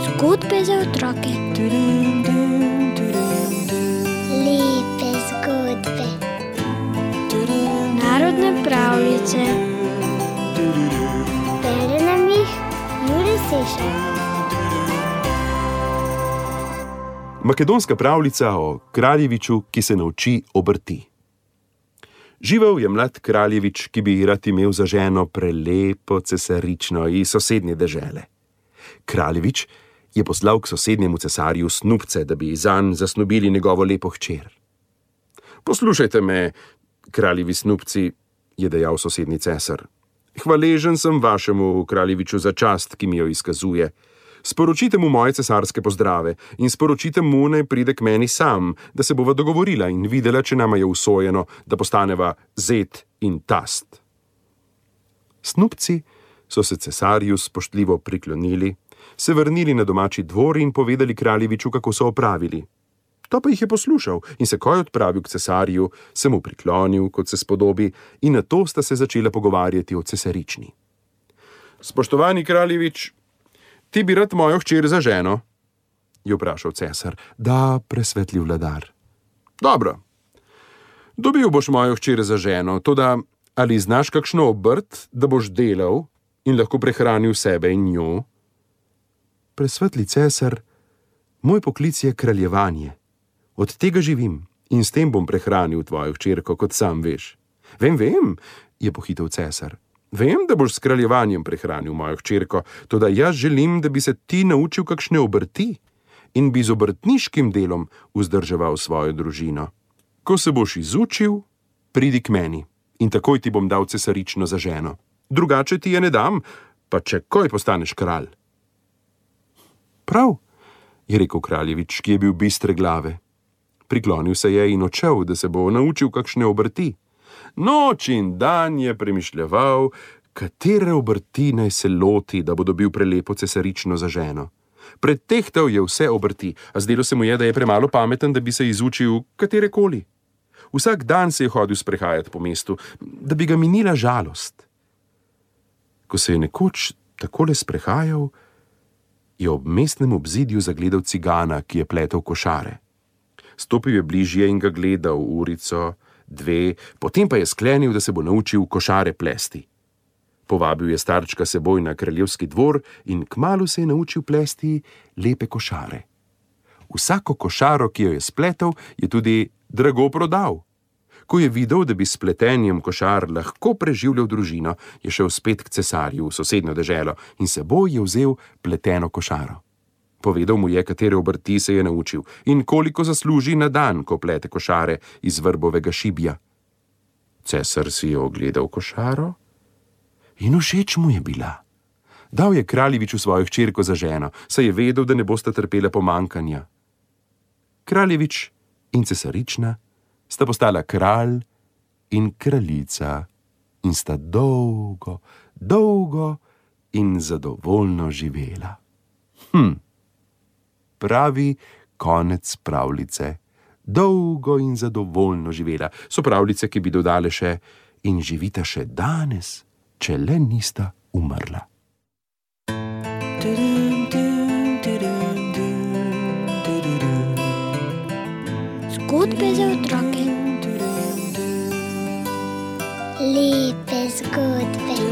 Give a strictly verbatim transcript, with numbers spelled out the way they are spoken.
Zgodbe za otroke. Lepe zgodbe. Narodne pravljice. Bere nam jih Jure Sešar. Makedonska pravljica o kraljeviču, ki se nauči obrti. Živel je mlad kraljevič, ki bi rad imel za ženo prelepo cesarično iz sosednje dežele. Kraljevič je poslal k sosednjemu cesarju snubce, da bi zanj zasnubili njegovo lepo hčer. Poslušajte me, kraljevi snubci, je dejal sosednji cesar. Hvaležen sem vašemu kraljeviču za čast, ki mi jo izkazuje. Sporočite mu moje cesarske pozdrave in sporočite mu, naj pride k meni sam, da se bova dogovorila in videla, če nama je usojeno, da postaneva zet in tast. Snubci so se cesarju spoštljivo priklonili, se vrnili na domači dvor in povedali kraljeviču, kako so opravili. To pa jih je poslušal in se ko je odpravil k cesarju, se mu priklonil, kot se spodobi, in nato sta se začela pogovarjati o cesarični. Spoštovani kraljevič, ti bi rad mojo hčer za ženo? Je vprašal cesar. Da, presvetli vladar. Dobro. Dobil boš mojo hčer za ženo, toda ali znaš kakšno obrt, da boš delal in lahko prehranil sebe in njo? Presvetli cesar, moj poklic je kraljevanje. Od tega živim in s tem bom prehranil tvojo hčerko, kot sam veš. Vem, vem, je pohitel cesar. Vem, da boš s kraljevanjem prehranil mojo hčerko, toda jaz želim, da bi se ti naučil kakšne obrti in bi z obrtniškim delom vzdrževal svojo družino. Ko se boš izučil, pridi k meni in takoj ti bom dal cesarično za ženo. Drugače ti je ne dam, pa če koj postaneš kralj. Prav, je rekel kraljevič, ki je bil bistre glave. Priklonil se je in odšel, da se bo naučil kakšne obrti. Noč in dan je premišljeval, katere obrti naj se loti, da bo dobil prelepo cesarično za ženo. Pretehtal je vse obrti, a zdelo se mu je, da je premalo pameten, da bi se izučil katerekoli. Vsak dan se je hodil sprehajati po mestu, da bi ga minila žalost. Ko se je nekoč takole sprehajal, je ob mestnem obzidju zagledal cigana, ki je pletel košare. Stopil je bližje in ga gledal urico, dve, potem pa je sklenil, da se bo naučil košare plesti. Povabil je starčka seboj na kraljevski dvor in kmalu se je naučil plesti lepe košare. Vsako košaro, ki jo je spletel, je tudi drago prodal. Ko je videl, da bi s pletenjem košar lahko preživljal družino, je šel spet k cesarju v sosednjo deželo in seboj je vzel pleteno košaro. Povedal mu je, katere obrti se je naučil in koliko zasluži na dan, ko plete košare iz vrbovega šibja. Cesar si je ogledal košaro in všeč mu je bila. Dal je kraljeviču svojo hčerko za ženo, saj je vedel, da ne bosta trpela pomankanja. Kraljevič in cesarična sta postala kralj in kraljica in sta dolgo, dolgo in zadovoljno živela. Hm. Pravi konec pravljice. Dolgo in zadovoljno živela. So pravljice, ki bi dodale še in živita še danes, če le nista umrla. Zgodbe za otroke. Lepe zgodbe.